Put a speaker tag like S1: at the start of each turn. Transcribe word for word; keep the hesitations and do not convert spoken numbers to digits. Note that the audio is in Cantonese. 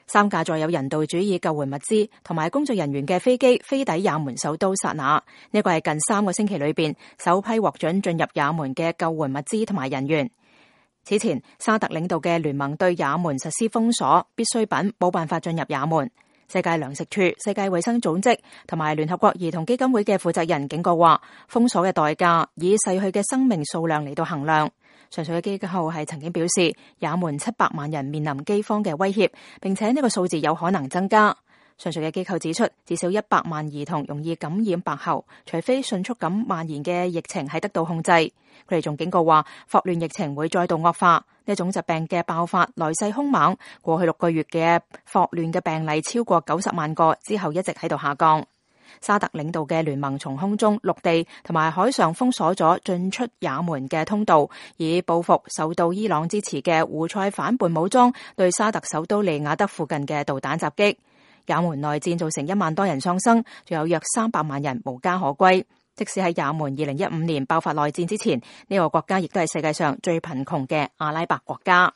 S1: 三架載有人道主義救援物資同埋工作人員嘅飛機飛抵也門首都薩那，呢個係近三個星期裏邊首批獲准進入也門嘅救援物資同埋人員。此前，沙特領導嘅聯盟對也門實施封鎖，必需品冇辦法進入也門。世界糧食署、世界衛生組織同埋聯合國兒童基金會嘅負責人警告話，封鎖嘅代價以逝去嘅生命數量嚟到衡量。上述嘅機構係曾經表示，也門七百萬人面臨饑荒嘅威脅，並且呢個數字有可能增加。上述嘅機構指出，至少一百萬兒童容易感染白喉，除非迅速咁蔓延嘅疫情係得到控制。佢哋仲警告話，霍亂疫情會再度惡化。呢種疾病嘅爆發來勢兇猛，過去六個月嘅霍亂嘅病例超過九十萬個，之後一直喺度下降。沙特領導嘅聯盟從空中、陸地同埋海上封鎖咗進出也門嘅通道，以報復受到伊朗支持嘅胡塞反叛武裝對沙特首都利雅德附近嘅導彈襲擊。也門內戰造成一萬多人喪生，仲有約三百萬人無家可歸。即使喺也門二零一五年爆發內戰之前，呢個國家亦都係世界上最貧窮嘅阿拉伯國家。